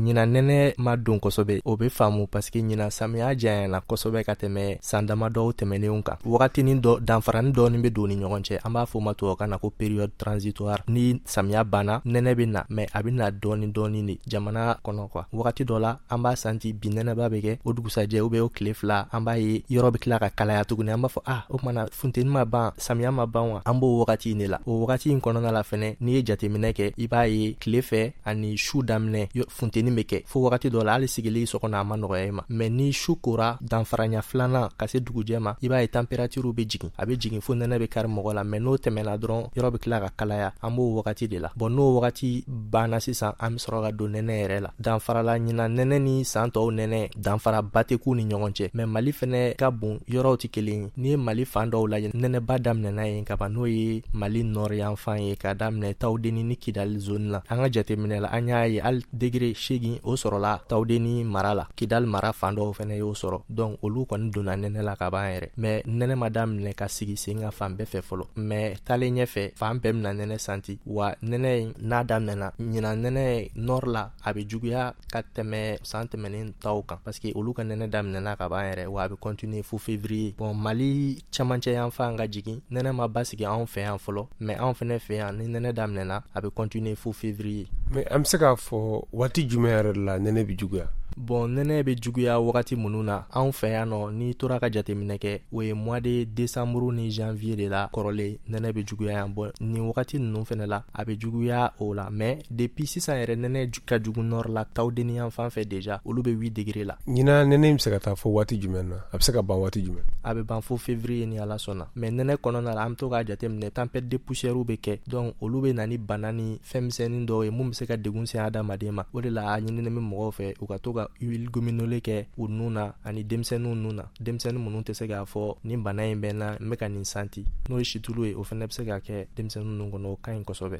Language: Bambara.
Ɲinan nɛnɛ ma don kosɛbɛ, o bɛ faamu parce que ɲinan samiya janyana kosɛbɛ ka tɛmɛ san damadɔw tɛmɛnenw kan. Wagatinin dɔ danfarani dɔɔni bɛ don ni ɲɔgɔn cɛ, an b'a fɔ o ma tubabukan na ko période transitoire. Ni samiya banna, nɛnɛ bɛ na, mais a bɛ na dɔɔni dɔɔni de jamana kɔnɔ quoi. Wagati dɔ la, an b'a santi bi nɛnɛba bɛ kɛ, o dugusajɛ ou bien o tile 2, an b'a ye yɔrɔ bɛ tila ka kalaya tuguni. An b'a fɔ ah, o tuma na funteni ma ban, samiya ma ban wa? An b'o wagati in de la. O wagati in kɔnɔna la fɛnɛ, n'i ye jateminɛ kɛ, i b'a ye tile fɛ ani su daminɛ funteni bɛ kɛ fo wagati dɔ la, hali sigili so kɔnɔ a ma nɔgɔya i ma. Mais ni su kora, danfaranya filanan ka se dugujɛ ma, i b'a ye température bɛ jigin, a bɛ jigin fo nɛnɛ bɛ kari mɔgɔ la. Mais n'o tɛmɛna dɔrɔn, yɔrɔ bɛ tila ka kalaya. An b'o wagati de la. Bon, n'o wagati banna sisan, an bɛ sɔrɔ ka don nɛnɛ yɛrɛ la. Danfara la, ɲinan nɛnɛ ni san tɔw nɛnɛ, danfaraba tɛ k'u ni ɲɔgɔn cɛ. Mais Mali fɛnɛ ka bon, yɔrɔw tɛ kelen ye. N'i ye Mali fan dɔw lajɛ, nɛnɛba daminɛna yen ka ban, n'o ye Mali nord yanfan ye, ka daminɛ Tawudeni ni Kidali zone la. An ka jateminɛ la, an y'a ye hali degré 8 o sɔrɔla Tawudeni mara la, Kidali mara fan dɔw fɛnɛ y'o sɔrɔ. Donc olu kɔni donna nɛnɛ la ka ban yɛrɛ. Mais nɛnɛ ma daminɛ ka sigi sen kan fan bɛɛ fɛ fɔlɔ, mais taalen ɲɛfɛ, fan bɛɛ bɛna nɛnɛ santi. Wa nɛnɛ in n'a daminɛna, ɲinan nɛnɛ nord la, a bɛ juguya ka tɛmɛ san tɛmɛnen taw kan, parce que olu ka nɛnɛ daminɛna ka ban yɛrɛ, wa a bɛ continuer fo février. Bon, Mali camancɛ yanfan ka jigin, nɛnɛ ma basigi anw fɛ yan fɔlɔ, mais anw fɛnɛ fɛ yan, ni nɛnɛ daminɛna, a bɛ continuer fo février. Mais an bɛ se k'a fɔ waati jumɛn yɛrɛ de la nɛnɛ bɛ juguya? Bon, nɛnɛ bɛ juguya wagati minnu na anw fɛ yan nɔ, n'i tora ka jateminɛ kɛ, o ye mois de décembre ni janvier de la. Kɔrɔlen, nɛnɛ bɛ juguya yan. Bon, nin wagati ninnu fɛnɛ la, a bɛ juguya o la. Mais depuis sisan yɛrɛ, nɛnɛ ka jugu nord la, Tawudeni yan fan fɛ déjà, olu bɛ 8 degré la. Ɲinan nɛnɛ bɛ se ka taa fo waati jumɛn na? A bɛ se ka ban waati jumɛn? A bɛ ban fo février ni Ala sɔnna. Mais nɛnɛ kɔnɔna la, an bɛ to k'a jateminɛ, tempête de poussière bɛ kɛ. Donc olu bɛ na ni bana ni fɛn misɛnnin dɔw ye mun bɛ se ka degun se adamaden ma. O de la, a ɲininen bɛ mɔgɔw fɛ u ka to ka huile gominole kɛ u nun na ani denmisɛnninw nun na, denmisɛnnin minnu tɛ se k'a fɔ nin bana in bɛ n na, n bɛ ka nin santi. N'o ye situlu ye, o fana bɛ se ka kɛ denmisɛnnin ninnu kɔnɔ, o ka ɲi kosɛbɛ.